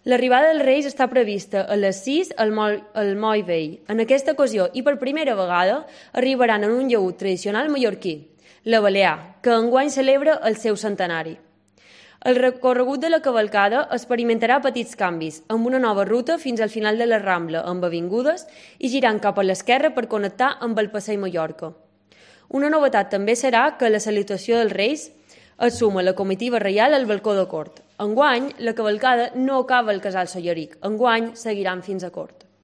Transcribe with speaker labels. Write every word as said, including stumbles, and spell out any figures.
Speaker 1: L'arribada dels Reis està prevista a les sis al Moll, al Moll Vell. En aquesta ocasió, i per primera vegada, arribaran en un llaüt tradicional mallorquí, la Balear, que enguany celebra el seu centenari. El recorregut de la cavalcada experimentarà petits canvis, amb una nova ruta fins al final de la Rambla, amb avingudes, i girant cap a l'esquerra per connectar amb el Passeig Mallorca. Una novetat també serà que la salutació dels Reis es suma la comitiva reial al balcó de cort. Enguany, la cavalcada no acaba al casal Solleric. Enguany, seguiran fins a cort.